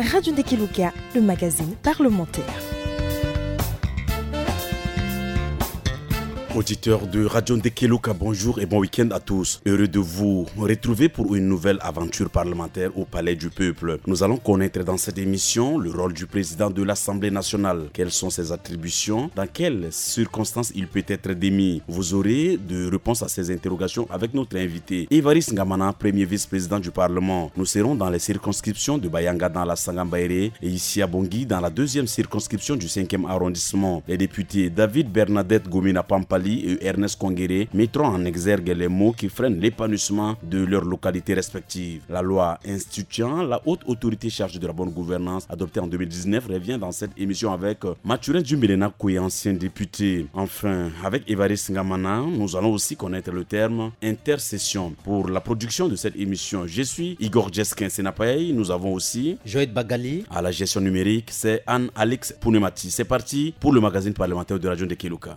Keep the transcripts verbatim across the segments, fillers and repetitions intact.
Radio Ndekeluka, le magazine parlementaire. Auditeurs de Radio Ndekeluka, bonjour et bon week-end à tous. Heureux de vous retrouver pour une nouvelle aventure parlementaire au Palais du Peuple. Nous allons connaître dans cette émission le rôle du président de l'Assemblée nationale. Quelles sont ses attributions ? Dans quelles circonstances il peut être démis ? Vous aurez de réponses à ces interrogations avec notre invité, Évariste Ngamana, premier vice-président du Parlement. Nous serons dans les circonscriptions de Bayanga dans la Sangambaéré et ici à Bongi dans la deuxième circonscription du cinquième arrondissement. Les députés David Bernadette Gomina Pampali et Ernest Kongere mettront en exergue les mots qui freinent l'épanouissement de leurs localités respectives. La loi instituant la haute autorité chargée de la bonne gouvernance adoptée en deux mille dix-neuf revient dans cette émission avec, euh, Mathurin Djumbelena Koué, ancien député. Enfin, avec Évariste Ngamana, nous allons aussi connaître le terme intercession. Pour la production de cette émission, je suis Igor Djeskin Senapay. Nous avons aussi Joël Bagali. À la gestion numérique, c'est Anne-Alix Pounemati. C'est parti pour le magazine parlementaire de Radio Ndekeluka.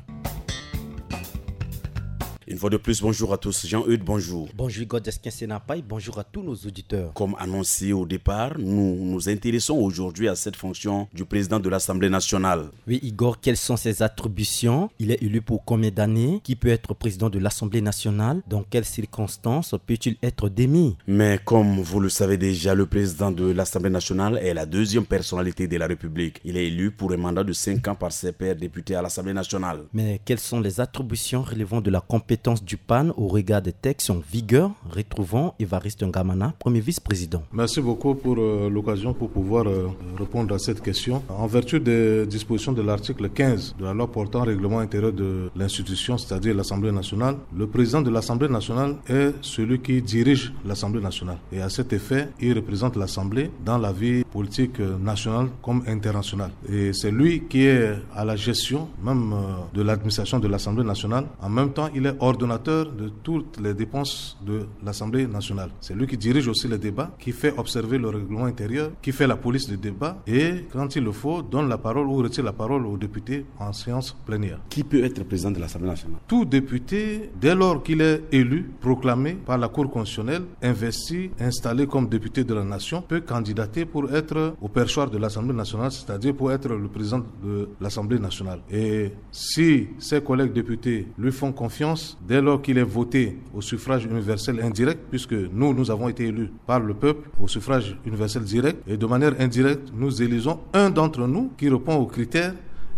Une fois de plus, bonjour à tous. Jean-Eudes, bonjour. Bonjour Igor Djeskin Senapay, bonjour à tous nos auditeurs. Comme annoncé au départ, nous nous intéressons aujourd'hui à cette fonction du président de l'Assemblée nationale. Oui, Igor, quelles sont ses attributions ? Il est élu pour combien d'années ? Qui peut être président de l'Assemblée nationale ? Dans quelles circonstances peut-il être démis ? Mais comme vous le savez déjà, le président de l'Assemblée nationale est la deuxième personnalité de la République. Il est élu pour un mandat de cinq ans par ses pairs députés à l'Assemblée nationale. Mais quelles sont les attributions relevant de la compétence du PAN au regard des textes en vigueur ? Retrouvons Évariste Ngamana, premier vice-président. Merci beaucoup pour, euh, l'occasion pour pouvoir, euh, répondre à cette question. En vertu des dispositions de l'article quinze de la loi portant règlement intérieur de l'institution, c'est-à-dire l'Assemblée nationale, le président de l'Assemblée nationale est celui qui dirige l'Assemblée nationale. Et à cet effet, il représente l'Assemblée dans la vie politique, euh, nationale comme internationale. Et c'est lui qui est à la gestion même, euh, de l'administration de l'Assemblée nationale. En même temps, il est ordonnateur de toutes les dépenses de l'Assemblée nationale. C'est lui qui dirige aussi les débats, qui fait observer le règlement intérieur, qui fait la police des débats et, quand il le faut, donne la parole ou retire la parole aux députés en séance plénière. Qui peut être président de l'Assemblée nationale ? Tout député, dès lors qu'il est élu, proclamé par la Cour constitutionnelle, investi, installé comme député de la nation, peut candidater pour être au perchoir de l'Assemblée nationale, c'est-à-dire pour être le président de l'Assemblée nationale. Et si ses collègues députés lui font confiance, dès lors qu'il est voté au suffrage universel indirect, puisque nous, nous avons été élus par le peuple au suffrage universel direct, et de manière indirecte, nous élisons un d'entre nous qui répond aux critères,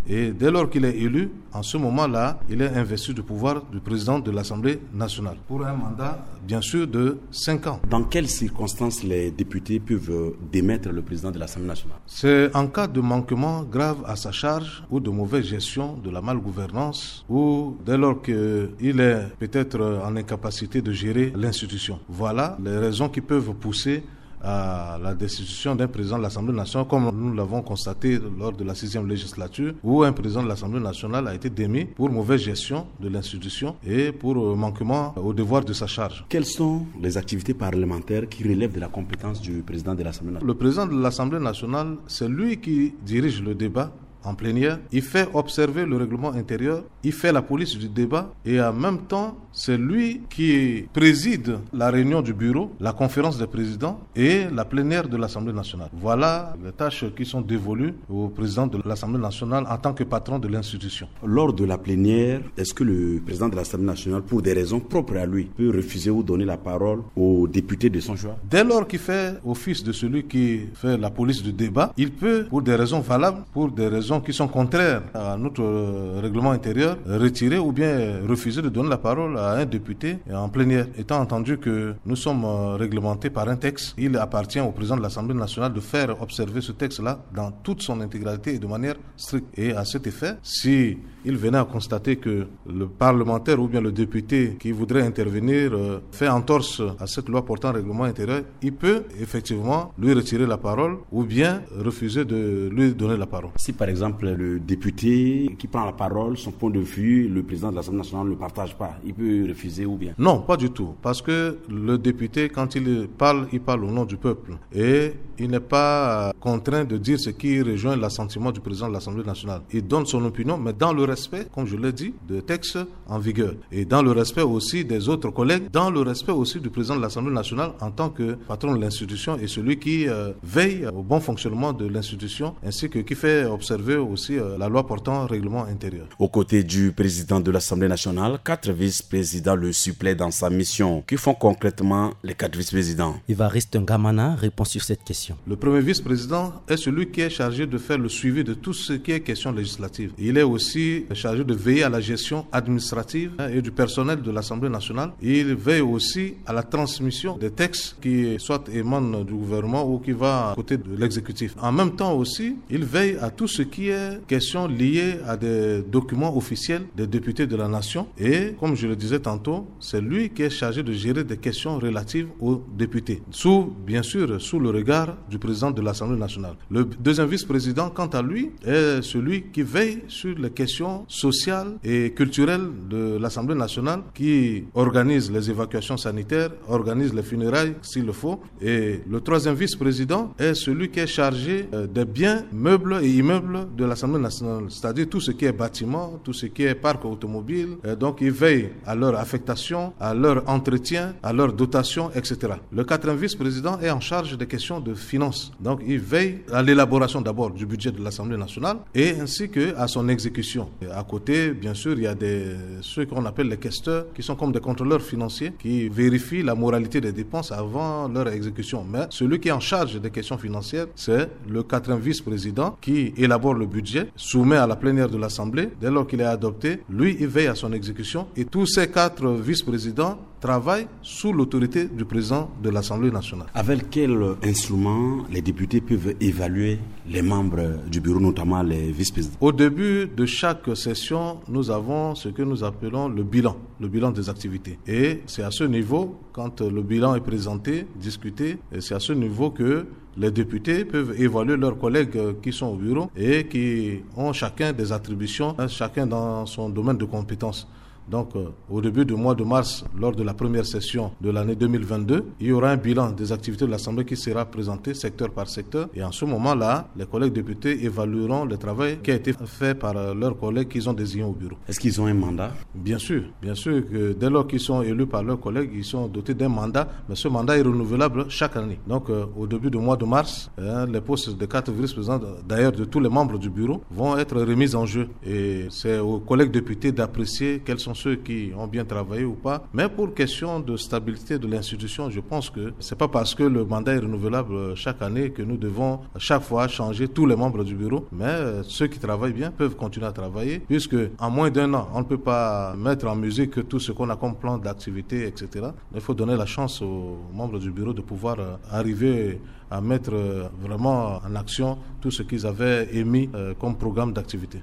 et dès lors qu'il est élu, en ce moment-là, il est investi du pouvoir du président de l'Assemblée nationale pour un mandat, bien sûr, de cinq ans. Dans quelles circonstances les députés peuvent, euh, démettre le président de l'Assemblée nationale ? C'est en cas de manquement grave à sa charge ou de mauvaise gestion, de la malgouvernance, ou dès lors qu'il est peut-être en incapacité de gérer l'institution. Voilà les raisons qui peuvent pousser à la destitution d'un président de l'Assemblée nationale, comme nous l'avons constaté lors de la sixième législature, où un président de l'Assemblée nationale a été démis pour mauvaise gestion de l'institution et pour, euh, manquement au devoir de sa charge. Quelles sont les activités parlementaires qui relèvent de la compétence du président de l'Assemblée nationale ? Le président de l'Assemblée nationale, c'est lui qui dirige le débat en plénière, il fait observer le règlement intérieur, il fait la police du débat et en même temps, c'est lui qui préside la réunion du bureau, la conférence des présidents et la plénière de l'Assemblée nationale. Voilà les tâches qui sont dévolues au président de l'Assemblée nationale en tant que patron de l'institution. Lors de la plénière, est-ce que le président de l'Assemblée nationale, pour des raisons propres à lui, peut refuser ou donner la parole aux députés de son choix ? Dès lors qu'il fait office de celui qui fait la police du débat, il peut, pour des raisons valables, pour des raisons qui sont contraires à notre, euh, règlement intérieur, retirer ou bien refuser de donner la parole à un député en plénière. Étant entendu que nous sommes, euh, réglementés par un texte, il appartient au président de l'Assemblée nationale de faire observer ce texte-là dans toute son intégralité et de manière stricte. Et à cet effet, si il venait à constater que le parlementaire ou bien le député qui voudrait intervenir, euh, fait entorse à cette loi portant règlement intérieur, il peut effectivement lui retirer la parole ou bien refuser de lui donner la parole. Si par exemple, Par exemple, le député qui prend la parole, son point de vue, le président de l'Assemblée nationale ne partage pas. Il peut refuser ou bien? Non, pas du tout. Parce que le député, quand il parle, il parle au nom du peuple. Et il n'est pas euh, contraint de dire ce qui rejoint l'assentiment du président de l'Assemblée nationale. Il donne son opinion, mais dans le respect, comme je l'ai dit, de textes en vigueur et dans le respect aussi des autres collègues, dans le respect aussi du président de l'Assemblée nationale en tant que patron de l'institution et celui qui euh, veille au bon fonctionnement de l'institution ainsi que qui fait observer aussi euh, la loi portant règlement intérieur. Aux côtés du président de l'Assemblée nationale, quatre vice-présidents le suppléent dans sa mission. Que font concrètement les quatre vice-présidents? Évariste Ngamana répond sur cette question. Le premier vice-président est celui qui est chargé de faire le suivi de tout ce qui est question législative. Il est aussi chargé de veiller à la gestion administrative hein, et du personnel de l'Assemblée nationale. Il veille aussi à la transmission des textes qui soit émanent du gouvernement ou qui va côté de l'exécutif. En même temps aussi, il veille à tout ce qui est question liée à des documents officiels des députés de la nation. Et comme je le disais tantôt, c'est lui qui est chargé de gérer des questions relatives aux députés, sous, bien sûr, sous le regard du président de l'Assemblée nationale. Le deuxième vice-président, quant à lui, est celui qui veille sur les questions sociales et culturelles de l'Assemblée nationale, qui organise les évacuations sanitaires, organise les funérailles s'il le faut. Et le troisième vice-président est celui qui est chargé euh, des biens meubles et immeubles de l'Assemblée nationale, c'est-à-dire tout ce qui est bâtiment, tout ce qui est parc automobile. Euh, donc, il veille à leur affectation, à leur entretien, à leur dotation, et cetera. Le quatrième vice-président est en charge des questions de finances. Donc, il veille à l'élaboration d'abord du budget de l'Assemblée nationale et ainsi que à son exécution. Et à côté, bien sûr, il y a des, ceux qu'on appelle les questeurs, qui sont comme des contrôleurs financiers, qui vérifient la moralité des dépenses avant leur exécution. Mais celui qui est en charge des questions financières, c'est le quatrième vice-président qui élabore le budget, soumet à la plénière de l'Assemblée. Dès lors qu'il est adopté, lui, il veille à son exécution. Et tous ces quatre vice-présidents travaillent sous l'autorité du président de l'Assemblée nationale. Avec quel instrument les députés peuvent évaluer les membres du bureau, notamment les vice-présidents? Au début de chaque session, nous avons ce que nous appelons le bilan, le bilan des activités. Et c'est à ce niveau, quand le bilan est présenté, discuté, et c'est à ce niveau que les députés peuvent évaluer leurs collègues qui sont au bureau et qui ont chacun des attributions, hein, chacun dans son domaine de compétence. Donc, euh, au début du mois de mars, lors de la première session de l'année deux mille vingt-deux, il y aura un bilan des activités de l'Assemblée qui sera présenté secteur par secteur. Et en ce moment-là, les collègues députés évalueront le travail qui a été fait par euh, leurs collègues qu'ils ont désignés au bureau. Est-ce qu'ils ont un mandat? Bien sûr, bien sûr que dès lors qu'ils sont élus par leurs collègues, ils sont dotés d'un mandat, mais ce mandat est renouvelable chaque année. Donc, euh, au début du mois de mars, hein, les postes de quatre vice-présidents, d'ailleurs de tous les membres du bureau, vont être remis en jeu. Et c'est aux collègues députés d'apprécier quels sont ceux qui ont bien travaillé ou pas. Mais pour question de stabilité de l'institution, je pense que c'est pas parce que le mandat est renouvelable chaque année que nous devons chaque fois changer tous les membres du bureau. Mais euh, ceux qui travaillent bien peuvent continuer à travailler, puisque en moins d'un an, on ne peut pas mettre en musique tout ce qu'on a comme plan d'activité, et cetera. Il faut donner la chance aux membres du bureau de pouvoir euh, arriver à mettre euh, vraiment en action tout ce qu'ils avaient émis euh, comme programme d'activité.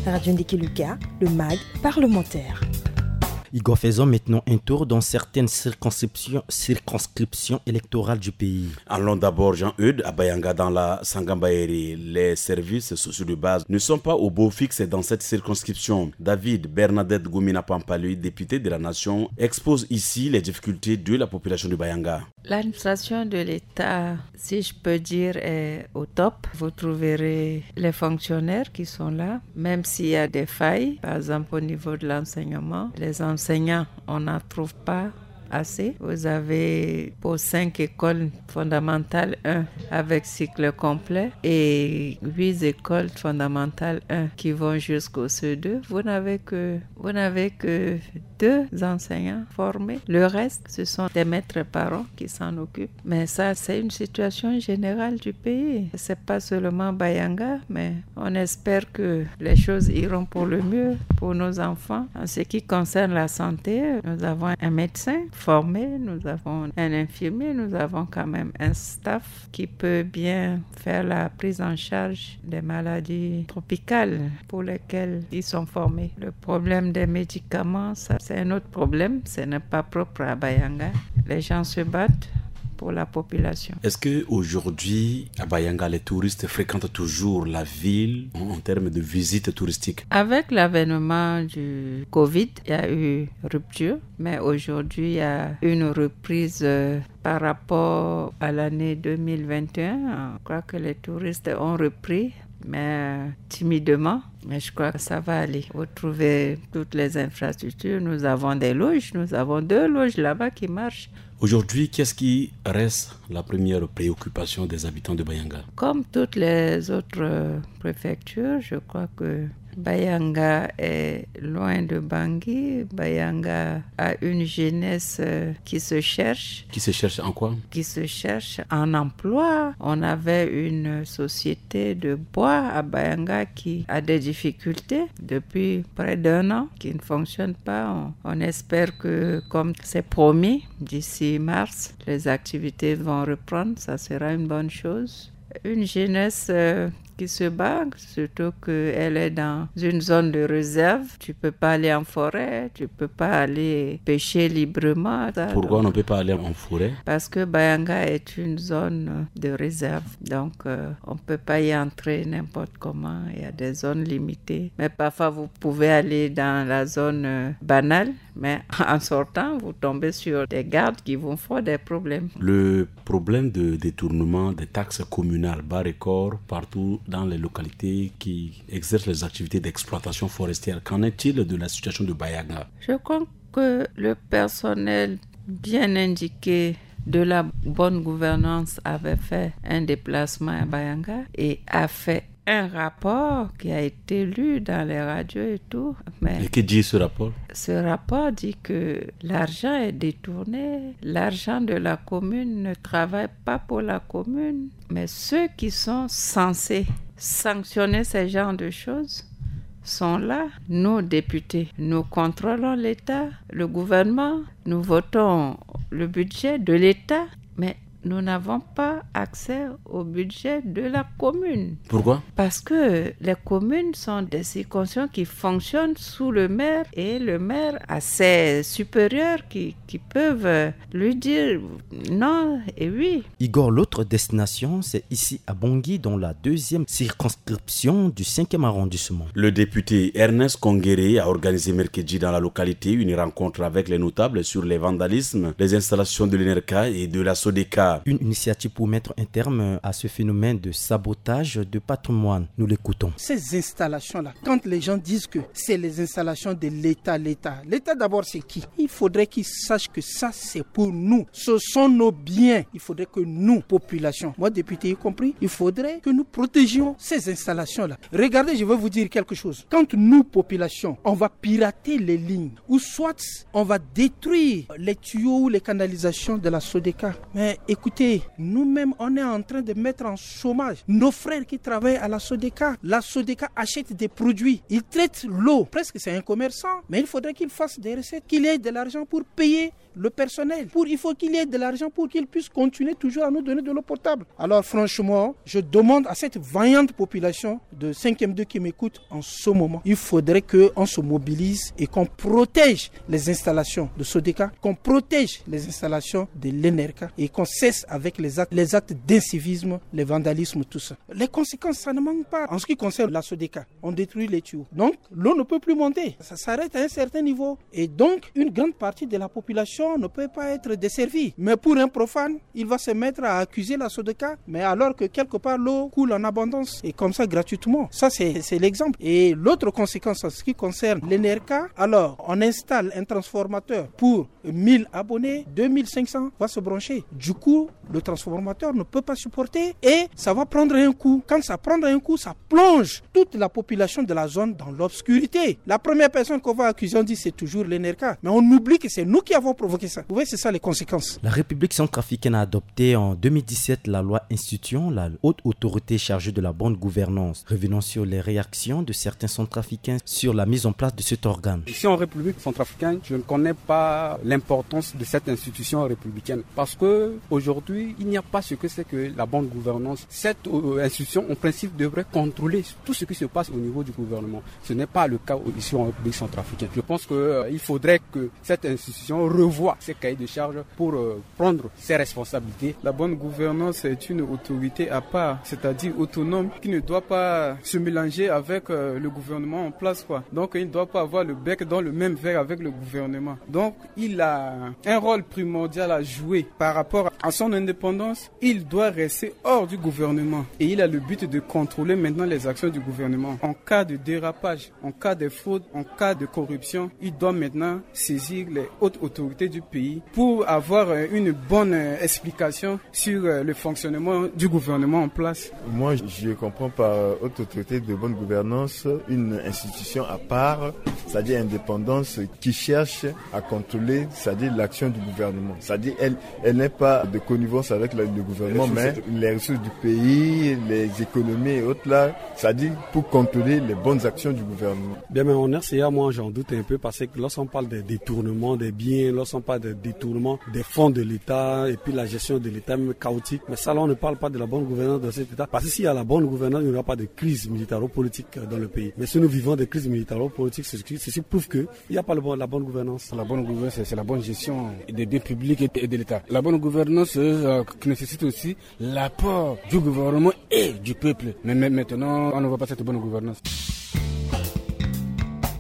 Radio Ndiki Luka, le mag parlementaire. Igor, faisons maintenant un tour dans certaines circonscriptions, circonscriptions électorales du pays. Allons d'abord, Jean-Eudes, à Bayanga, dans la Sangambaéré. Les services sociaux de base ne sont pas au beau fixe dans cette circonscription. David Bernadette Gomina Pampalé, député de la Nation, expose ici les difficultés de la population de Bayanga. L'administration de l'État, si je peux dire, est au top. Vous trouverez les fonctionnaires qui sont là, même s'il y a des failles, par exemple au niveau de l'enseignement. Les enseignants, on n'en trouve pas assez. Vous avez pour cinq écoles fondamentales un avec cycle complet et huit écoles fondamentales un qui vont jusqu'au C deux. Vous n'avez que, vous n'avez que deux enseignants formés. Le reste, ce sont des maîtres parents qui s'en occupent. Mais ça, c'est une situation générale du pays. C'est pas seulement Bayanga, mais on espère que les choses iront pour le mieux pour nos enfants. En ce qui concerne la santé, nous avons un médecin formé, nous avons un infirmier, nous avons quand même un staff qui peut bien faire la prise en charge des maladies tropicales pour lesquelles ils sont formés. Le problème des médicaments, ça, c'est un autre problème. Ce n'est pas propre à Bayanga. Les gens se battent pour la population. Est-ce que aujourd'hui, à Bayanga, les touristes fréquentent toujours la ville en, en termes de visite touristique ? Avec l'avènement du covid, il y a eu rupture, mais aujourd'hui, il y a une reprise, euh, par rapport à l'année deux mille vingt et un. Je crois que les touristes ont repris, mais timidement. Mais je crois que ça va aller. Vous trouvez toutes les infrastructures. Nous avons des loges. Nous avons deux loges là-bas qui marchent. Aujourd'hui, qu'est-ce qui reste la première préoccupation des habitants de Bayanga ? Comme toutes les autres, euh, préfectures, je crois que Bayanga est loin de Bangui. Bayanga a une jeunesse, euh, qui se cherche. Qui se cherche en quoi ? Qui se cherche en emploi. On avait une société de bois à Bayanga qui a des difficultés depuis près d'un an, qui ne fonctionne pas. On, on espère que, comme c'est promis, d'ici mars, les activités vont reprendre. Ça sera une bonne chose. Une jeunesse, euh, qui se bat, surtout qu'elle est dans une zone de réserve. Tu peux pas aller en forêt, tu peux pas aller pêcher librement. Ça, pourquoi donc, on ne peut pas aller en forêt ? Parce que Bayanga est une zone de réserve. Donc, euh, on peut pas y entrer n'importe comment. Il y a des zones limitées. Mais parfois, vous pouvez aller dans la zone, euh, banale. Mais en sortant, vous tombez sur des gardes qui vous font des problèmes. Le problème de détournement des taxes communales bat record partout dans les localités qui exercent les activités d'exploitation forestière. Qu'en est-il de la situation de Bayanga ? Je crois que le personnel bien indiqué de la bonne gouvernance avait fait un déplacement à Bayanga et a fait un rapport qui a été lu dans les radios et tout. Mais et que dit ce rapport ? Ce rapport dit que l'argent est détourné, l'argent de la commune ne travaille pas pour la commune, mais ceux qui sont censés sanctionner ces genres de choses sont là. Nous, députés, nous contrôlons l'État, le gouvernement, nous votons le budget de l'État, mais nous n'avons pas accès au budget de la commune. Pourquoi ? Parce que les communes sont des circonscriptions qui fonctionnent sous le maire et le maire a ses supérieurs qui, qui peuvent lui dire non et oui. Igor, l'autre destination, c'est ici à Bangui, dans la deuxième circonscription du cinquième arrondissement. Le député Ernest Kongere a organisé mercredi dans la localité une rencontre avec les notables sur les vandalismes, les installations de l'ENERCA et de la SODECA. Une initiative pour mettre un terme à ce phénomène de sabotage de patrimoine. Nous l'écoutons. Ces installations-là, quand les gens disent que c'est les installations de l'État, l'État, l'État d'abord c'est qui ? Il faudrait qu'ils sachent que ça c'est pour nous. Ce sont nos biens. Il faudrait que nous, population, moi député y compris, il faudrait que nous protégions ces installations-là. Regardez, je vais vous dire quelque chose. Quand nous, population, on va pirater les lignes, ou soit on va détruire les tuyaux ou les canalisations de la SODECA. Mais écoutez, nous-mêmes, on est en train de mettre en chômage nos frères qui travaillent à la SODECA. La SODECA achète des produits, ils traitent l'eau. Presque c'est un commerçant, mais il faudrait qu'il fasse des recettes, qu'il ait de l'argent pour payer le personnel. Pour, il faut qu'il y ait de l'argent pour qu'il puisse continuer toujours à nous donner de l'eau potable. Alors franchement, je demande à cette vaillante population de cinquième deux qui m'écoute en ce moment, il faudrait qu'on se mobilise et qu'on protège les installations de SODECA, qu'on protège les installations de l'ENERCA et qu'on cesse avec les actes, les actes d'incivisme, les vandalismes, tout ça. Les conséquences, ça ne manque pas. En ce qui concerne la SODECA, on détruit les tuyaux. Donc, l'eau ne peut plus monter. Ça s'arrête à un certain niveau. Et donc, une grande partie de la population ne peut pas être desservie. Mais pour un profane, il va se mettre à accuser la SODECA, mais alors que quelque part, l'eau coule en abondance. Et comme ça, gratuitement. Ça, c'est, c'est l'exemple. Et l'autre conséquence en ce qui concerne l'ENERCA, alors, on installe un transformateur pour mille abonnés, deux mille cinq cents va se brancher. Du coup, le transformateur ne peut pas supporter et ça va prendre un coup. Quand ça prend un coup, ça plonge toute la population de la zone dans l'obscurité. La première personne qu'on va accuser, on dit c'est toujours l'ENERCA. Mais on oublie que c'est nous qui avons provoqué ça. Vous voyez, c'est ça les conséquences. La République centrafricaine a adopté en deux mille dix-sept la loi instituant la haute autorité chargée de la bonne gouvernance. Revenons sur les réactions de certains centrafricains sur la mise en place de cet organe. Ici en République centrafricaine, je ne connais pas l'importance de cette institution républicaine parce que Aujourd'hui, il n'y a pas ce que c'est que la bonne gouvernance. Cette euh, institution, en principe, devrait contrôler tout ce qui se passe au niveau du gouvernement. Ce n'est pas le cas ici en République centrafricaine. Je pense qu'il euh, faudrait que cette institution revoie ses cahiers de charges pour euh, prendre ses responsabilités. La bonne gouvernance est une autorité à part, c'est-à-dire autonome, qui ne doit pas se mélanger avec euh, le gouvernement en place, quoi. Donc, il ne doit pas avoir le bec dans le même verre avec le gouvernement. Donc, il a un rôle primordial à jouer par rapport à son indépendance. Il doit rester hors du gouvernement et il a le but de contrôler maintenant les actions du gouvernement. En cas de dérapage, en cas de fraude, en cas de corruption, il doit maintenant saisir les hautes autorités du pays pour avoir euh, une bonne euh, explication sur euh, le fonctionnement du gouvernement en place. Moi, je comprends par euh, haute autorité de bonne gouvernance une institution à part, c'est-à-dire indépendance, qui cherche à contrôler, c'est-à-dire l'action du gouvernement. C'est-à-dire elle, elle n'est pas de connivence avec le, le gouvernement, mais les ressources du pays, les économies et autres là, c'est-à-dire pour contrôler les bonnes actions du gouvernement. Bien, mais en R C A, moi, j'en doute un peu parce que lorsqu'on parle des détournements des biens, lorsqu'on parle des détournements des fonds de l'État et puis la gestion de l'État même chaotique, mais ça, là, on ne parle pas de la bonne gouvernance dans cet État. Parce que s'il y a la bonne gouvernance, il n'y aura pas de crise militaro-politique dans le pays. Mais si nous vivons des crises militaro-politiques, ceci, ceci prouve que il n'y a pas le bon, la bonne gouvernance. La bonne gouvernance, c'est la bonne gestion des biens publics et de l'État. La bonne gouvernance euh, qui nécessite aussi l'apport du gouvernement et du peuple. Mais, mais maintenant, on ne voit pas cette bonne gouvernance.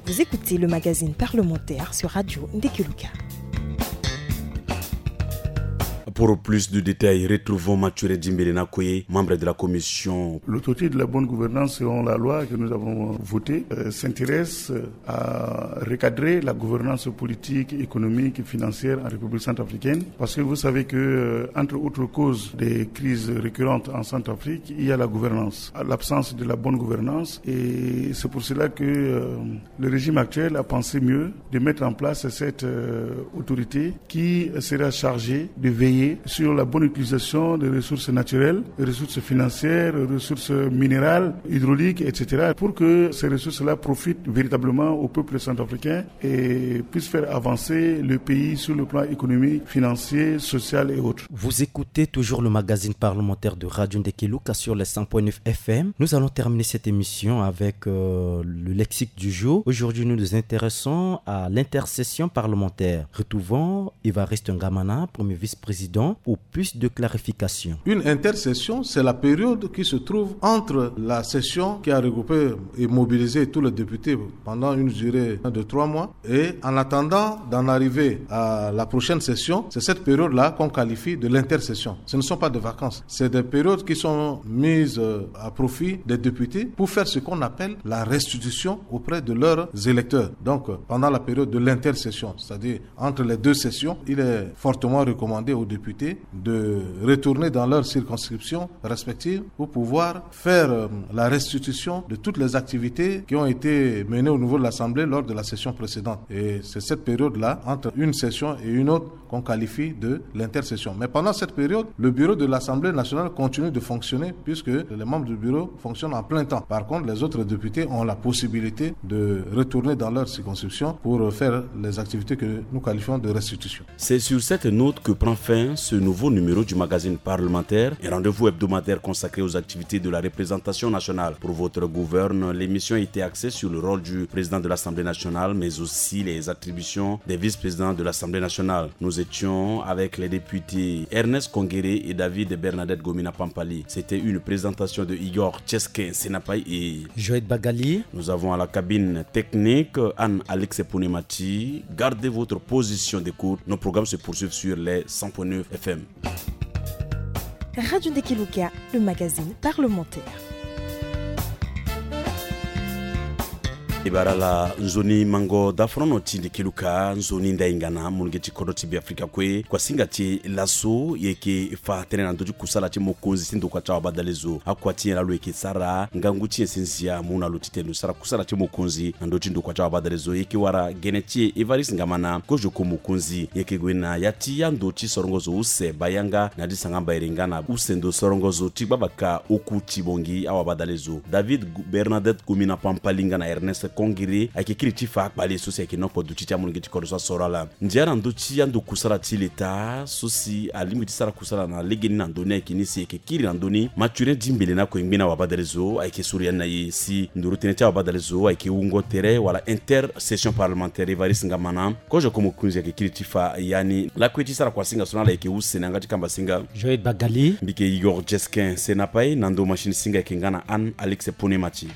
Vous écoutez le magazine parlementaire sur Radio Ndekeluka. Pour plus de détails, retrouvons Mathurin Dimbele Nakoye, membre de la commission. L'autorité de la bonne gouvernance, selon la loi que nous avons votée, euh, s'intéresse à recadrer la gouvernance politique, économique et financière en République centrafricaine. Parce que vous savez que, euh, entre autres causes des crises récurrentes en Centrafrique, il y a la gouvernance, l'absence de la bonne gouvernance. Et c'est pour cela que euh, le régime actuel a pensé mieux de mettre en place cette euh, autorité qui sera chargée de veiller sur la bonne utilisation des ressources naturelles, ressources financières, ressources minérales, hydrauliques, et cetera, pour que ces ressources-là profitent véritablement au peuple centrafricain et puissent faire avancer le pays sur le plan économique, financier, social et autres. Vous écoutez toujours le magazine parlementaire de Radio Ndekeluka sur les cent point neuf F M. Nous allons terminer cette émission avec euh, le lexique du jour. Aujourd'hui, nous nous intéressons à l'intercession parlementaire. Retrouvons Évariste Ngamana, premier vice-président, pour plus de clarification. Une intercession, c'est la période qui se trouve entre la session qui a regroupé et mobilisé tous les députés pendant une durée de trois mois et en attendant d'en arriver à la prochaine session, c'est cette période-là qu'on qualifie de l'intercession. Ce ne sont pas des vacances. C'est des périodes qui sont mises euh, à profit des députés pour faire ce qu'on appelle la restitution auprès de leurs électeurs. Donc, euh, pendant la période de l'intercession, c'est-à-dire entre les deux sessions, il est fortement recommandé aux députés de retourner dans leur circonscription respective pour pouvoir faire euh, la restitution de toutes les activités qui ont été menées au niveau de l'Assemblée lors de la session précédente. Et c'est cette période-là, entre une session et une autre, qu'on qualifie de l'intercession. Mais pendant cette période, le bureau de l'Assemblée nationale continue de fonctionner puisque les membres du bureau fonctionnent en plein temps. Par contre, les autres députés ont la possibilité de retourner dans leur circonscription pour faire les activités que nous qualifions de restitution. C'est sur cette note que prend fin ce nouveau numéro du magazine parlementaire, un rendez-vous hebdomadaire consacré aux activités de la représentation nationale. Pour votre gouverne, l'émission était axée sur le rôle du président de l'Assemblée nationale, mais aussi les attributions des vice-présidents de l'Assemblée nationale. Nous étions avec les députés Ernest Kongere et David Bernadette Gomina Pampali. C'était une présentation de Igor Tcheske Senapai et Joël Bagali. Nous avons à la cabine technique Anne Alex Ponemati. Gardez votre position d'écoute. Nos programmes se poursuivent sur les cent point neuf F M. Radio Ndekeluka, le magazine parlementaire. E bara ala, nzoni mango dafrono ti Ndekeluka, nzoni ndaingana, molenge ti kodro ti Beafrika kue, kuasinga ti e laso, e yeke fa tënë na ndö ti kusala ti mokonzi ti ndokua ti awabadalezo. Akua ti nyen lalo e yeke sara, ngangu ti nyen si nzia amu na lo titene lo sara kusala ti mokonzi na ndö ti ndokua ti awabadalezo. E yeke wara gene ti e Évariste Ngamana, kozo ko mokonzi. E yeke gue na ya ti ando ti sorongo zo use, bayanga na di sangamba ere nga na use ndo sorongo zo ti gbabaka oku ti bongi awabadalezo. David Gu-, Bernadette Gomina Pampali nga na Ernest kongere ayeke kiri ti fa akpale so si ayeke noko duti ti amolenge ti kodro so asoro ala. Ndia na ndö ti ando kusala ti leta so si alingbi ti sara kusala na legeni na ndö ni ayeke ni si e yeke kiri na ndö ni. Mathurin Dimbele na kue ngbeni awabadalezo ayeke sori yani na e si nduru tënë ti awabadalezo ayeke wungo tere wala intersession parlementaire. Évariste Ngamana, kozo ko mokonzi ayeke kiri ti fa yani lakue ti sara kuasinga so na ala ayeke use na yanga ti kambasinga Joël Bagali. Mbi yeke Igor Jesquin Senapai, na ndo machine singa ayeke nga na Anne Alex Ponemati.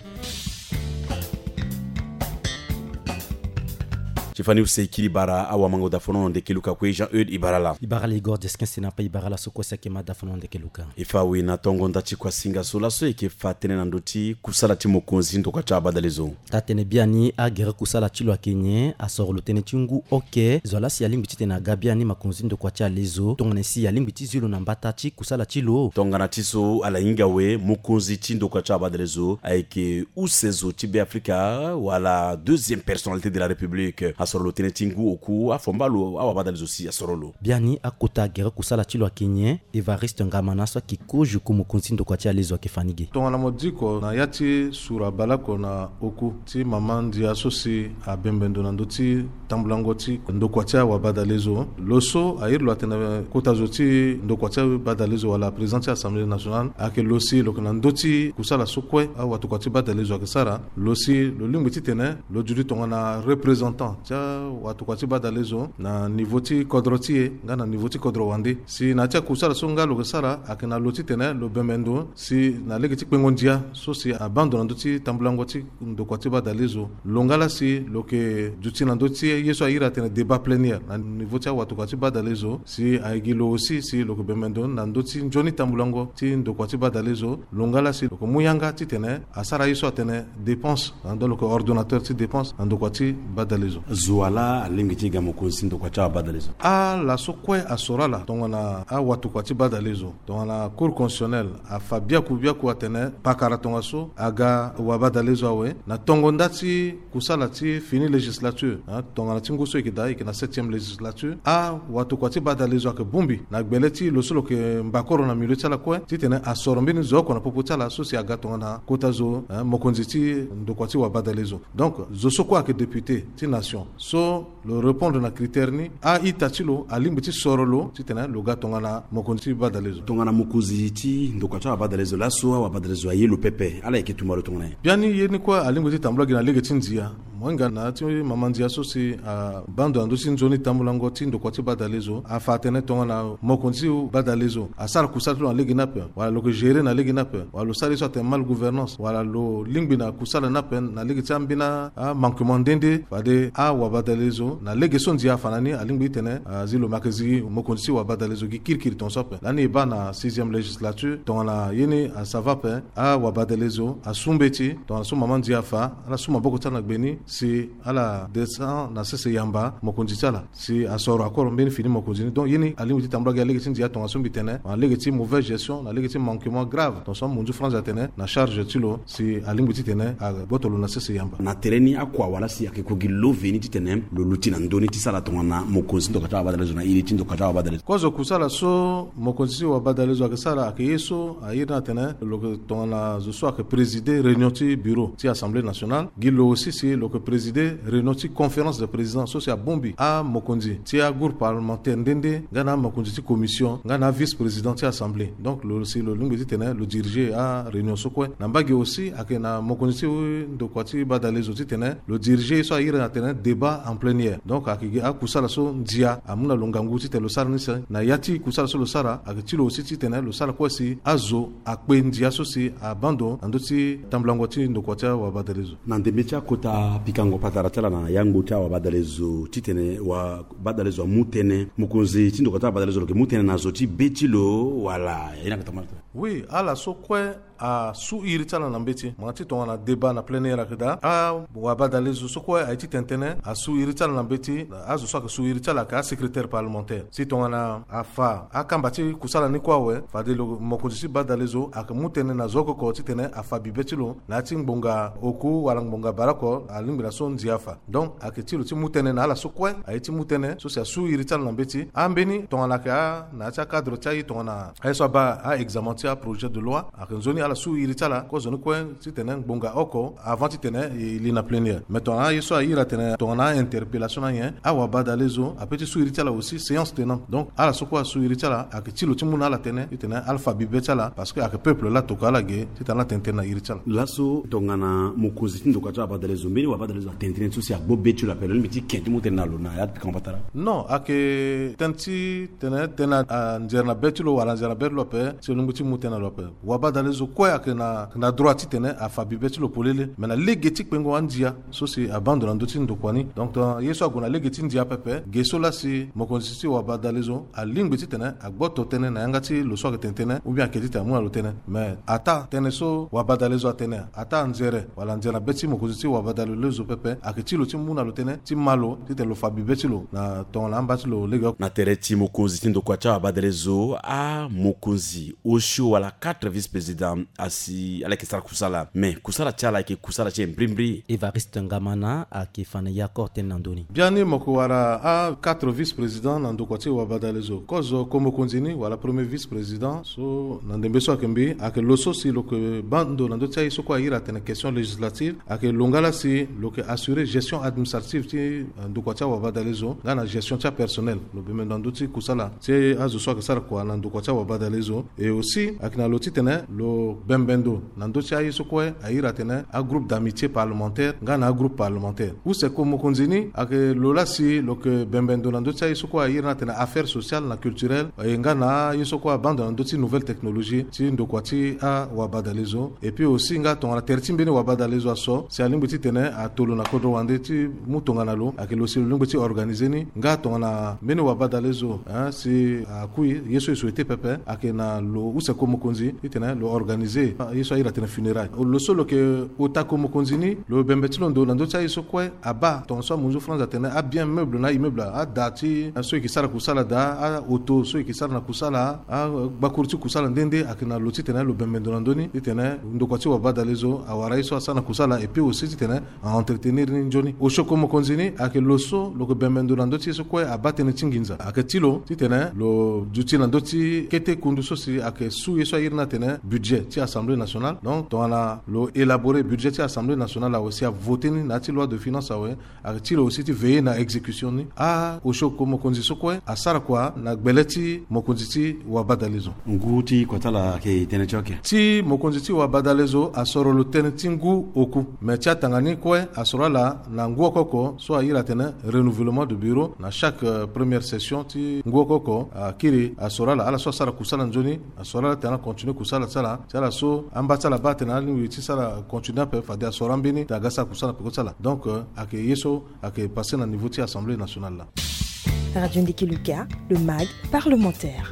Ti fani use kiri bara awamango dafono ndeke luka kue Jean Eude Ibarala. Ibarala Igor Jesquin Senapai, Ibarala so kue si ayeke ma dafono ndeke luka. E fa awe na tongo nda ti kuasinga so laso e yeke fa tënë na ndö ti kusala ti mokonzi ndokua ti abadalezo. Taa-tënë biani agere kusala ti lo ayeke nyen? Asoro lo tënë ti ngu oke. Zo laa si alingbi titene aga biani mokonzi ndokua ti alezo tongana si alingbi ti zi lo na mbata ti kusala ti lo. Tongana ti so ala hinga awe, mokonzi ti ndokua ti abadalezo ayeke use zo ti Be Afrika wala deuxième personnalité de la République. Asoro lo tënë ti ngu oku, afomba lo awabadalezo si asoro lo. Biani akota gere kusala ti lo ayeke nyen? Évariste Ngamana so ayeke kozo ko mokonzi ti ndokua ti alezo ayeke fa ni ge. Tongana mo diko na ya ti sura baleoko na oku ti mama ndia so si abembe ndo na ndö ti tambulango ti ndokua ti awabadalezo, lo so airi lo atene kota zo ti ndokua ti badalezo wala président ti Assemblée nationale ayeke lo si lo yeke na ndö ti kusala so kue awatokua ti badalezo ayeke sara. Lo si lo lingbi titene lo duti tongana représentant ti awatokua ti badalezo na niveau ti kodro ti e nga na niveau ti kodro wande. Si na ya ti akusala so nga lo yeke sara ayeke na lo titene lo bembe ndo si na lege ti kpengo ndia so si abaa ndo na ndö ti tambulango ti ndokua ti badalezo, lo nga laa si lo yeke duti na ndö ti ye so airi atene débat plénière na niveau ti awatokua ti badalezo, si ayeke gi lo aussi si lo yeke bembe ndo na ndö ti nzoni tambulango ti ndokua ti badalezo. Lo nga laa si lo yeke mu yanga titene asara ye so atene dépense, donc lo yeke ordonnateur ti dépense na ndokua ti badalezo. Zo wa laa alingbi ti ga mokonzi ti ndokua ti awabadalezo? Ala so kue asoro ala tongana awatokua ti badalezo, tongana Cour constitutionnelle afa biaku biaku atene pakara tongaso aga wabadalezo awe na tongo nda ti kusala ti fini législature, hein, tongana ti ngu so e yeke daa e yeke na septième législature. Awatokua ti badalezo ayeke bongbi na gbele ti lo so lo yeke mbakoro na milieu ti ala kue titene asoro mbeni zo oko na popo ti ala so si aga tongana kota zo, hein, mokonzi ti ndokua ti wabadalezo. Donc zo so kue ayeke député ti nation so lo répondre na critère ni, a-ita ti lo alingbi ti soro lo titene lo ga tongana mokonzi ti badalezo. Tongana mokonzi ti ndokua ti awabadalezo laso, awabadalezo aye lo pepe, ala yeke tumba lo tongana nyen? Biani ye ni kue alingbi ti tambula gi na lege ti ndia. Mo hinga na ya ti mama ndia so si abaa ndo na ndö ti nzoni tambulango ti ndokua ti badalezo afa atene tongana mokonzi ti badalezo asara kusala ti lo na lege ni ape, wala lo yeke gérer na lege ni ape, wala lo sara ye so atene mal gouvernance, wala lo lingbi na kusala ni ape na lege ti ambeni amanquement nde nde, fade awabadalezo na lege so ndia afa na ni alingbi titene azi lo. Me ayeke zi mokonzi ti wabadalezo gi kirikiri tongaso ape. Lani e baa na sixième législature tongana ye ni asava ape, awabadalezo asu mbeti tongana so mama ndia afa, ala su maboko ti ala na gbe ni si ala descend na sese yamba mokonzi ti ala si asoro akoro mbeni fini mokonzi ni. Donc ye ni alingbi ti tambula gi na lege ti ndia tongaso mbi tene na lege ti mauvaise gestion, na lege ti manquement grave tongaso amunzu France atene na charge ti lo si alingbi titene agboto lo na sese yamba. Na tere ni akua wala si ayeke ko gi lo veni titene lo luti na ndö ni ti sara tongana mokonzi ti ndokua ti awabadalezo na iri ti ndokua ti awabadalezo? Kozo kusala so mokonzi ti wabadalezo ayeke sara ayeke ye so airi ni atene lo yeke tongana zo so ayeke présider réunion ti bureau ti Assemblée nationale. Gi lo aussi si lo yeke présider réunion ti conférence de président so si abongbi amokonzi ti agroupe parlementaire nde nde nga na amokonzi ti commission nga na avice président ti Assemblée. Donc lo si lo lingbi titene lo diriger aréunion so kue. Na mbage aussi ayeke na mokonzi ti ndokua ti badalezo titene lo diriger ye so airi atene débat en plénière. Donc ayeke gi akusala so ndia amu na lo ngangu titene lo sara ni si na ya ti kusala so lo sara ayeke ti lo aussi titene lo sara kue si azo akpe ndia so si abaa ndo na ndö ti tambulango ti ndokua ti awabadalezo. Na ndembe ti akota pikango patara ti ala na yangbo ti awabadalezo titene wabadalezo amu tënë, mokonzi ti ndokua ti awabadalezo lo yeke mu tënë na zo ti be ti lo wala? Ye ni ayeke tambula tene. Oui, ala so kue asu iri ti ala na mbeti. Mo na ti tongana débat na plénière ayeke daa, awabadalezo so kue aye ti tene tënë asu iri ti ala na mbeti. Azo so ayeke su iri ti ala ayeke asecrétaire parlementaire. Si tongana afa akamba ti kusala ni kue awe, fade lo mokonzi ti badalezo ayeke mu tënë na zo oko oko titene afa bibe ti lo na ya ti ngbonga oku wala ngbonga baleoko alingbi na so ndia afa. Donc ayeke ti lo ti mu tënë na ala so kue aye ti mu tënë so si asu iri ti ala na mbeti. Ambeni tongana ayeke a na ya ti acadre ti aye tongana aye so abaa a-examen ti aprojet de loi ayeke nzoni Ala su iri ti ala kozo ni kue titene ngbonga oko avant titene e li na plénière. Mais tongana aye so a iri atene tongana a-interpellation ni ayen, awabadalezo ape ti su iri ti ala aussi séance tenante. Donc ala so kue asu iri ti ala ayeke ti lo ti mu na ala tënë titene ala fa bibe ti ala, parce que ayeke peuple laa atokua ala ge titene ala tene tënë na iri ti ala. Laso tongana mokonzi ti ndokua ti awabadalezo, mbeni wabadalezo atene tënë ti so si agbo be ti lo ape, lo lingbi ti ken ti mu tënë na lo na ya ti kamba tara? Non, ayeke tënë ti tene tënë anzere na be ti lo wala anzere na be ti lo ape si lo lingbi ti mu tënë na lo ape. Wabadalezo kue ayeke na, na droit titene afa bibe ti lo polele, me na lege ti kpengo andia so si abaa ndo na ndö ti ndokua ni. Donc tongana ye so ague na lege ti ndia pepe, ge so laa si mokonzi ti wabadalezo alingbi titene agboto tënë na yanga ti lo so ayeke tene tënë, ou bien ayeke titene amu na lo tënë. Mais ataa tënë so wabadalezo atene, ataa anzere wala anzere na be ti mokonzi ti wabadalezo pepe, ayeke ti lo ti mu na lo tënë ti ma lo titene lo fa bibe ti lo na tongana amba ti lo legeoko. Na tere ti mokonzi ti ndokua ti awabadalezo, amokonzi osio wala quatre vice-président asi ala yeke sara kusala. Mais kusala ti ala ayeke kusala ti e mbrimbri. Évariste Ngamana ayeke fa na e akor tënë na ndö ni. Biani mo yeke wara a-quatre vice-président na ndokua ti wabadalezo. Kozo ko mokonzi ni wala premier vice-président so na ndembe so ayeke mbi, ayeke lo so si lo yeke baa ndo na ndö ti aye so kue a iri atene question législative, ayeke lo nga laa si lo yeke assurer gestion administrative ti, eh, ndokua ti awabadalezo nga na gestion ti apersonnel. Lo bembe ndo na ndö ti kusala ti azo so ayeke sara kua na ndokua ti awabadalezo. Et aussi ayeke na lo titene lo bembe ndo na ndö ti aye so kue a iri atene agroupe d'amitié parlementaire nga na agroupe parlementaire. Use ko mokonzi ni ayeke lo laa si lo yeke bembe ndo na ndö ti aye so kue a iri ni atene affaire sociale na culturelle, e nga na aye so kue abaa ndo na ndö ti nouvelle technologie ti ndokua ti awabadalezo. Et puis aussi nga tongana tere ti mbeni wabadalezo aso si alingbi titene ato lo na kodro wande ti mu tongana lo, ayeke lo si lo lingbi ti organiser ni. Nga tongana mbeni wabadalezo, hein, si akui ye so e souhaiter pepe, ayeke na lo use ko mokonzi titene lo organiser ye so a iri atene funérailles. Lo so lo yeke ota ko mokonzi ni, lo bembe ti lo ndo na ndö ti aye so kue abaa, tongana so amunzu France atene abien meuble na immeuble, ada ti so e yeke sara kusala daa, aoto so e yeke sara na kusala, agbakuru ti kusala nde nde, ayeke na lo titene lo bembe ndo na ndö ni titene ndokua ti wabadalezo awara ye so asara na kusala, et puis aussi titene a-entretenir ni nzoni. Osio ko mokonzi ni ayeke lo so lo yeke bembe ndo na ndö ti ye so kue abaa tënë ti nginza. Ayeke ti lo titene lo duti na ndö ti kete kundu so si ayeke su ye so a iri ni atene budget ti Assemblée nationale. Donc tongana lo élaborer budget ti Assemblée nationale awe si avoter ni na ya ti loi de finance awe, ayeke ti lo aussi ti veiller na exécution ni. A-osio ko mokonzi so kue asara kua na gbele ti mokonzi ti wabadalezo. Ngu ti kua ti ala ayeke tënë ti oke? Ti mokonzi ti wabadalezo asoro lo tënë ti ngu oku. Me ti atanga ni kue asoro ala na ngu oko oko so a iri atene renouvellement de bureau. Na chaque, euh, première session ti ngu oko oko, akiri asoro ala, ala so asara kusala nzoni, asoro ala titene ala continuer kusala ti ala, ti ala so amba ti ala baa atene alingbi ti sara continuer ape, fade asoro ambeni titene aga sara kusala peko ti ala. Donc, euh, ayeke ye so ayeke passé na niveau ti Assemblée nationale laa. Radio Ndiki Luka, le mag parlementaire.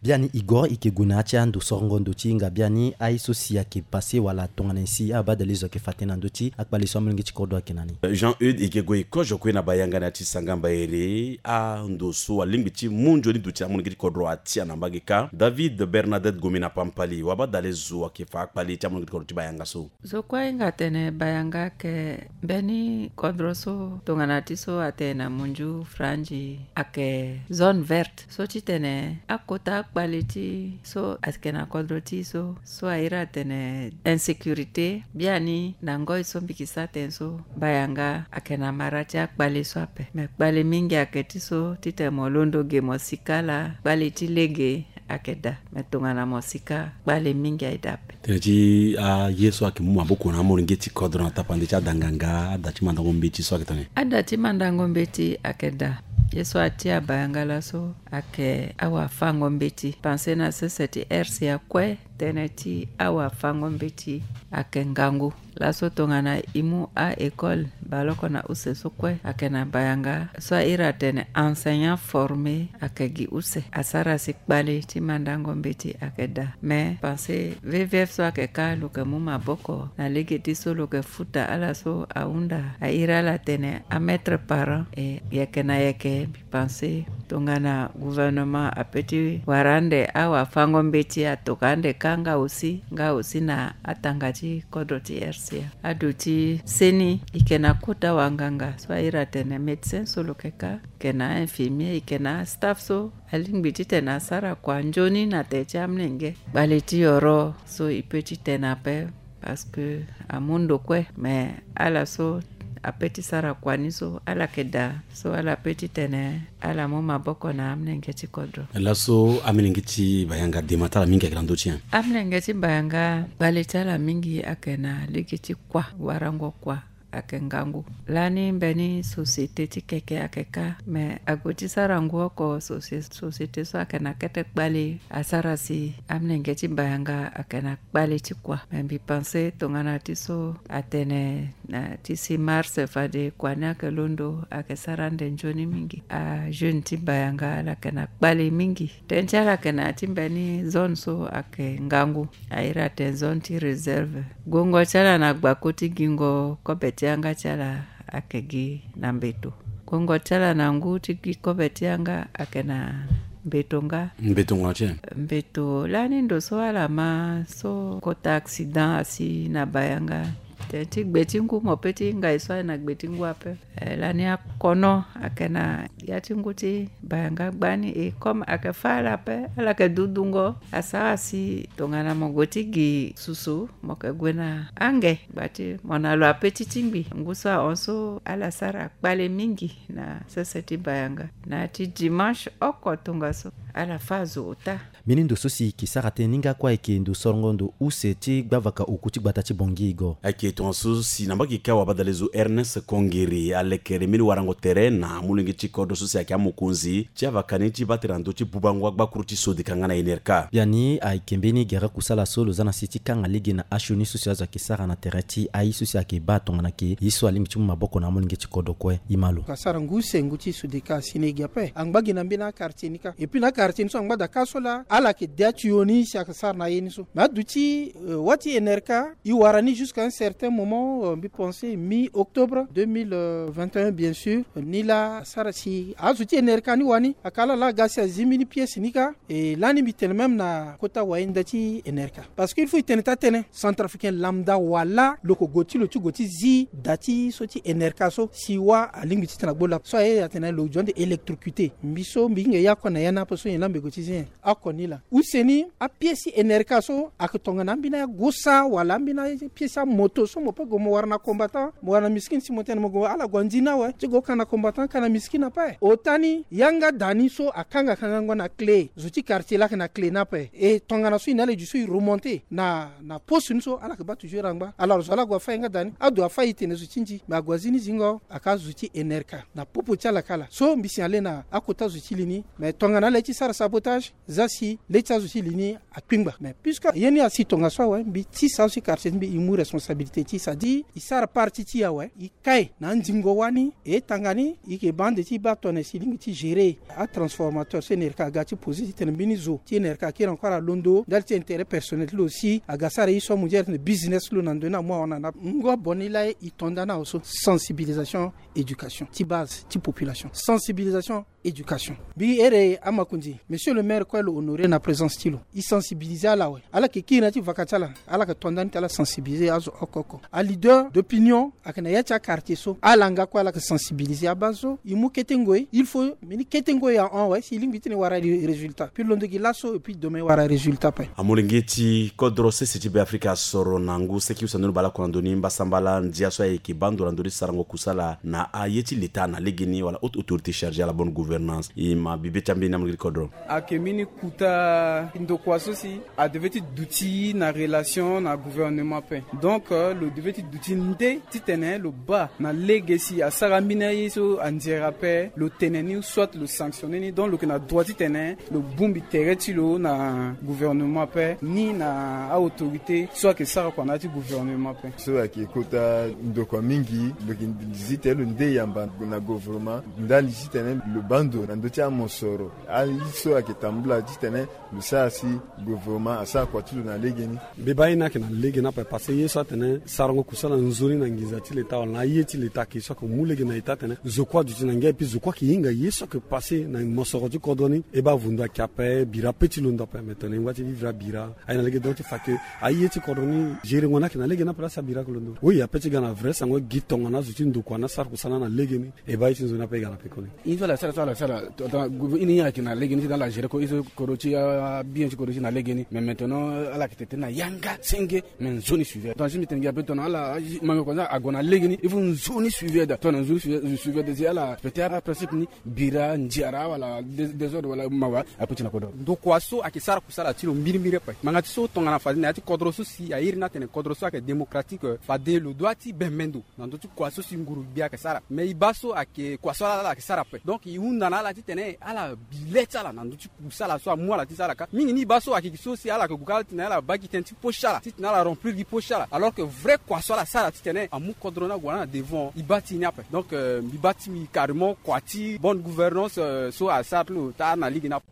Biani Igor, e yeke gue na ya ti ando sorongo ndo ti hinga biani, aye so si ayeke passé wala tongana nyen si abadalezo ayeke fa tënë na ndö ti akpale so amolenge ti kodro ayeke na ni? Jean Eudes, e yeke gue e kozo kue na bayanga na ya ti Sangamba Ere, ando so alingbi ti mu nzoni duti na amolenge ti kodro atia na mbage kâ. David Bernadette Gomina Pampali, wabadalezo ayeke fa akpale ti amolenge ti kodro ti bayanga so? Zo kue ahinga atene bayanga ayeke mbeni kodro so tongana ti so atene na munzu franzi ayeke zone verte. So titene akota akpale ti so ayeke na kodro ti so, so a iri atene insécurité, biani na ngoi so mbi yeke sara tënë so, bayanga ayeke na mara ti akpale so ape. Me kpale mingi ayeke ti so titene mo londo ge mo sika laa, kpale ti lege ayeke daa. Me tongana mo sika, kpale mingi aye daa ape. Tënë ti aye so ayeke mu maboko na amolenge ti kodro na tapande ti ada nganga, ada ti mandango mbeti so ayeke tene? Ada ti mandango mbeti ayeke daa. Ye so atia bayanga laso ayeke awafango mbeti. Pensé na sese ti R C A kue, tënë ti awafango mbeti ayeke ngangu. Laso tongana e mu a-école, baleoko na use so kue ayeke na bayanga. So a iri atene enseignant formé ayeke gi use. Asara si kpale ti mandango mbeti ayeke daa. Me pensé V V F so ayeke kâ lo yeke mu maboko na lege ti so lo yeke futa ala so ahunda. A iri ala atene amaître parent, e yeke na yeke. Pensé tongana gouvernement ape ti wara ande awafango mbeti atokua ande kâ nga aussi, nga aussi na atanga ti kodro ti R C A. Aduti seni e yeke na Kota wanganga so a iri atene médecin so lo yeke ka, ayeke na a-infirmier, e yeke na a-staff so alingbi titene asara kua nzoni na tere ti amolenge. Kpale ti yoro so e peut titene ape, parce que amu ndo kue, mais ala so ape ti sara kua ni so ala yeke daa, so ala peut titene ala mu maboko na amolenge ti kodro. Laso amolenge ti Bayanga, dema ti ala mingi ayeke na ndö ti nyen? Amolenge ti Bayanga, kpale ti ala mingi ayeke na lege ti kua, warango kua ayeke ngangu. Lani mbeni société ti keke ayeke ka, me ague ti sara ngu oko, socie-, société so ayeke na kete kpale asara si amolenge ti Bayanga ayeke na kpale ti kua. Me mbi pense tongana ti so atene na ti six mars fade kua ni ayeke londo, ayeke sara ande nzoni mingi. Ajeune ti Bayanga ala yeke na kpale mingi. Tënë ti ala ayeke na ya ti mbeni zone so ayeke ngangu, a iri atene zone ti réserve. Guengo ti ala na gbako ti gingo kobe ti yanga ti ala ayeke gi na mbeto. Guengo ti ala na ngu ti gi kobe ti yanga ayeke na mbeto nga. Mbeto nga ti? Mbeto lani ndo so ala ma so kota accident asi na Bayanga. Tënë ti gbe ti ngu, mo peut ti hinga e so aye na gbe ti ngu ape. Eh, lani akono ayeke na ya ti ngu ti Bayanga gbani, e comme ayeke fâ ala ape, ala yeke dudungo, asara si tongana mo gue ti gi susu, mo yeke gue na ange, gba ti mo na lo ape ti tingbi. Ngu so ahon so ala sara kpale mingi na sese ti Bayanga. Na ya ti dimanche oko tongaso ala fâ azo ota. Mbeni ndo so si e yeke sara tënë ni nga kue ayeke ndo sorongo ndo use ti gbavaka oku ti gbata ti Bangui Igor. Ayeke tongaso si na mbage ka wabadale zo Ernest Kongere alekere mbeni warango tere na amolenge ti kodro so si ayeke amokonzi ti avaka ni ti baa tere na ndö ti bubango agbakuru ti Sodeka nga na Enerca. Biani ayeke mbeni gere kusala so lo za na si ti kanga lege na asioni so si azo ayeke sara na tere ti aye so si ayeke baa tongana ke ye so alingbi ti mu maboko na amolenge ti kodro kue. E ma lo. Asara ngu use ngu ti Sodeka asi na e gi ape, angba gi na mbeni akartier ni kâ. Et puis na akartier ni so angba daa kâ so laa ala yeke de atuyo ni si ayeke sara na aye ni so. Me aduti, euh, wâ ti Enerca, e wara ni jusqu'à un certain moment, euh, mbi pense mi-octobre deux mille vingt et un, bien sûr. Ni laa asara si azo ti Enerca ni wani aka ala laa aga si azi mbeni pièce ni kâ. E lani mbi tene même na kota wayenda ti Enerca. Parce que il faut e tene taa tënë, centrafricain lambda wala lo yeke gue ti lo ti gue ti zi da ti so ti Enerca so, si wâ alingbi titene agbu lapa so aye atene lo zo ande électrocuté. Mbi so mbi hinga e ye oko na ya ni ape so nyen laa mbi gue ti zi nyen. Oko ni laa. Use ni, apièce ti Enerca so ayeke tongana ambeni agosa wala ambeni apièce ti amoto so mo peut gue mo wara na combattant, mo wara na miskine si mo tene mo gue ala gue andi ni awe ti gue ka na combattant ka na miskine ape. Ota ni yanga da ni so akanga kangango na clé, zo ti quartier laa ayeke na clé ni ape. E tongana so e na ala e zo so e remonter na, na poste ni so ala yeke baa toujours angba. Alors zo ala gue afâ yanga da ni, ado afâ e tene zo ti ndi, me ague azi ni zingo aka zo ti Enerca. Na popo ti ala kâ laa. So mbi signaler na akota zo ti li ni, me tongana ala ye ti sara sabotage, za si le ti azo ti li ni akpingba. Mais puisque ye ni asi tongaso awe, mbi tisa azo ti quartier ti mbi e mu responsabilité ti e, c'est-à-dire e sara partie ti e awe, e kai na andingo wani, e tanga ni, e yeke baa ande ti e baa tongana si e lingbi ti gérer atransformateur so Enerca aga ti poser titene mbeni zo ti Enerca akiri encore alondo ndali ti intérêt personnel ti lo si aga sara ye so amu ti ala titene business ti lo na ndo ni amu ahon na ni ape. Ngu abon ni laa e to nda ni awe so, sensibilisation, éducation ti base ti population, sensibilisation, éducation. Mbi iri amakonzi, monsieur le maire kue lo honoré na présence ti lo, e sensibiliser ala awe. Ala yeke kiri na ya ti vaka ti ala, ala yeke to nda ni ti ala sensibiliser azo oko oko. Aleader d'opinion ayeke na ya ti aquartier so, ala nga kue ala yeke sensibiliser abaa so e mu kete ngoi. Il faut mbeni kete ngoi ahon awe si e lingbi titene e wara résultat. Puis londo gi laso et puis demain e wara résultat ape. Amolenge ti kodro sese ti Beafrika asoro na ngu seki use ando ni baleoko na ndö ni mbasambala ndia so ayeke baa ndo na ndö ni sarango kusala na aye ti leta na legeni wala haute autorité chargée à la bonne gouvernance. E ma bibe ti ambeni amolenge ti kodro. Ayeke mbeni kuta ndokua so si a devait ti duti na relation na gouvernement ape. Donc, euh, lo devait ti duti nde titene lo baa na lege si asara mbeni aye so andiere ape, lo tene ni soit lo sanctionner ni. Donc lo yeke na droit titene lo bongbi tere ti lo na gouvernement ape ni na a-autorité so ayeke sara kua na ya ti gouvernement ape. So ayeke kota ndokua mingi, lo yeke zi tene lo nde yamba na gouvernement ndali titene lo baa ndo na ndö ti amosoro aye so ayeke tambula titene lo sara si gouvernement asara kua ti lo na legeni. Mbi baa ye ni ayeke na legeni ape parce que ye so atene sarango kusala nzoni na nginza ti leta wala na aye ti leta ayeke so ayeke mu lege na eta atene zo kue aduti na ngia epui zo kue ayeke hinga ye so ayeke passe na mosoro ti kodro ni. E baa avundu ayeke ape bira pe ti londo ape mais tongana e ngba ti vivre abira aye na lege donc ti fa ke aye ti kodro ni gérengo ni ayeke na lege ni ape laa si abira ayeke londo. Oui ape ti ga na vrai sango gi tongana azo ti ndokua ni asara kusala na lege ni. E baa ye ti nzoni ape e ga na pekoni. Ye so ala sara so ala sara tongana ini ye ayeke na lege ni ti tongana ala géré ko ye so kodro ti abien ti kodro ti na lege ni mais maintenant ala yeke tene na yanga senge. Mais nzoni suivre tongana si mbi tene gi ape tongana ala mango konza ague na lege ni il faut nzoni suivre daa tongana nzoni suivre daa si ala respecté aprincipe ni. Bira nziara wala désordre wala mawa ape ti na kodro. Ndokua so ayeke sara kusala ti lo mbirimbiri ape ngbanga ti so tongana fade na ya ti kodro so si airi ni atene kodro so ayeke démocratique fade lo dua ti bembe ndo na ndö ti kua so si nguru gbia ayeke sara mais e baa so ayeke kua so ala ala ayeke sara ape donc e hunda na ala titene ala bi le ti ala na ndö ti kusala so amu ala ti sara kâ mingi ni e baa so ayeke gi so si ala yeke gue kâ titene ala baa gi tënë ti poche ti ala titene ala remplir gi poche ti ala alors que vrai kua so ala sara titene amu kodro ni ague na devant e baa ti e ni ape donc mbi baa ti mbi carrément kua ti bonne gouvernance so asara ti lo taa na lege ni ape.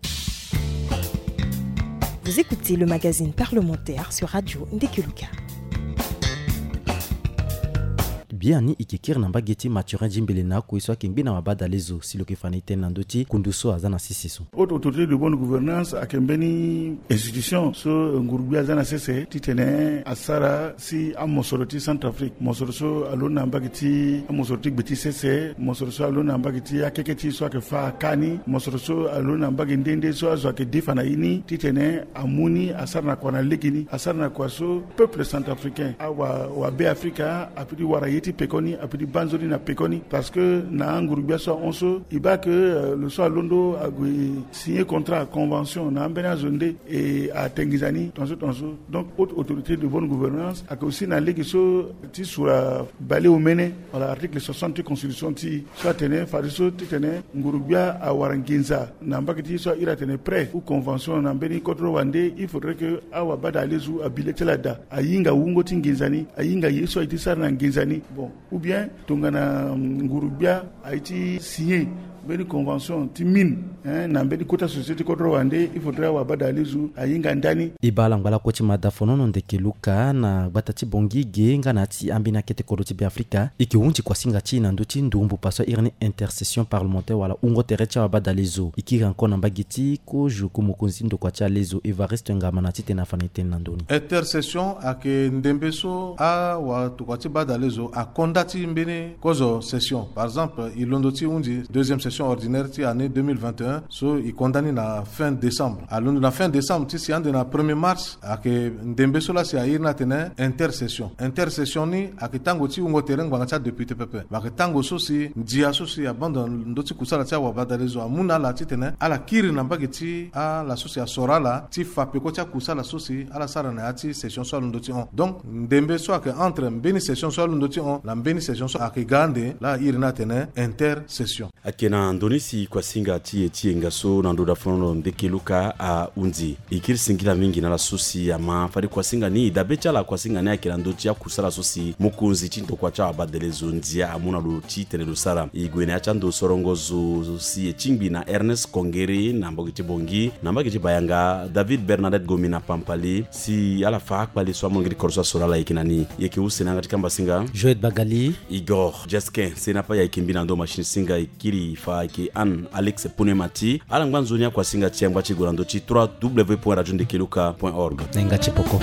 Vous écoutez le magazine parlementaire sur Radio Ndekeluka. Biani e ke kiri na mbage ti Mathurin Djimbele na akui so ayeke ngbi na wabadale zo si lo yeke fa na e tënë na ndö ti kundu so aza na sese so. Haute autorité de bonne gouvernance ayeke mbeni institution so nguru gbia aza na sese titene asara si amosoro ti Centrafrique mosoro so alondo na mbage ti amosoro ti gbe ti sese mosoro so alondo na mbage ti akeke ti e so ayeke fa akâ ni mosoro so alondo na mbage nde nde so azo ayeke defa na e ni titene amu ni asara na kua na lege ni asara na kua so peuple centrafricain awa wa be afrika ape ti wara ye ti pekoni ape ti baa nzoni na pekoni parce que na anguru gbia so ahon so e baa ke lo so alondo ague signer contrat convention na ambeni azo nde e ate nginza ni tongaso tongaso. Donc haute autorité de bonne gouvernance ayeke aussi na lege so ti sura baleomene wala article soixante ti constitution ti e so atene fadeso titene nguru gbia awara nginza na mbage ti e so airi atene prêt ou convention na mbeni kodro wande il faudrait que awabadalezo abi le ti ala daa ahinga wungo ti nginza ni ahinga ye so aye ti sara na nginza ni bon ou bien tongana nguru gbia aye ti signer mbeni convention ti mine na mbeni kota société ti kodro wande il faudrait awabadalezo ahinga ndani. E baa ala ngba lakue ti mada fonono ndeke luka na gbata ti bongi ge nga na ya ti ambeni akete kodro ti be afrika e ke hunzi kuasinga ti e na ndö ti ndumbu paso airi ni intercession parlementaire wala wungo tere ti awabadalezo e kiri encore na mbage ti kozo ku mokonzi ti ndokua ti alezo Evariste Ngama na titene afa na e tënë na ndö ni. Intercession ayeke ndembe so awatokua ti badalezo akonda ti mbeni kozo session par exemple e londo ti hunzi deuxième session ordinaire ti année deux mille vingt et un so e konda ni na fin décembre alondo na fin décembre ti si ande na premier mars ayeke ndembe so laa si airi ni atene intercession intercession ni ayeke tango ti wungo tere ngbanga ti adéputé pepe me ayeke tango so si ndia so si abando na ndö ti kusala ti awabadalezo amu na ala titene ala kiri na mbage ti ala so si asoro ala ti fa peko ti akusala so si ala sara na ya ti session so alondo ti hon donc ndembe so ayeke entre mbeni session so alondo ti hon na mbeni session so ayeke ga ande laa airi ni atene intercession. Ayeke na ndö ni si kuasinga ti e ti yenga so na ndö dafonono ndeke luka ahunzi e kiri singila mingi na ala so si ama fade kuasinga ni dabe ti ala kuasinga ni ayeke na ndö ti akusala so si mokonzi ti ndokua ti awabadelezo ndia amu na lo titene lo sara e gue na ya ti ando sorongo zo si e tingbi na Ernest Kongere na mbage ti Bongi na mbage ti Bayanga David Bernadette Gomi na Pampali si ala fa akpale so amolenge ti kodro so asoro ala e yeke na ni e yeke use na yanga ti kamba singa Joël Bagali. Igor Jesquin seni ape ayeke mbi na ndo machine singa e kiri fa ayeke Anne Alex Ponemati ala ngba nzoni akuasinga ti e angba ti e gue na ndö ti trois w point radio ndekeluka point org. Na hinga ti poko.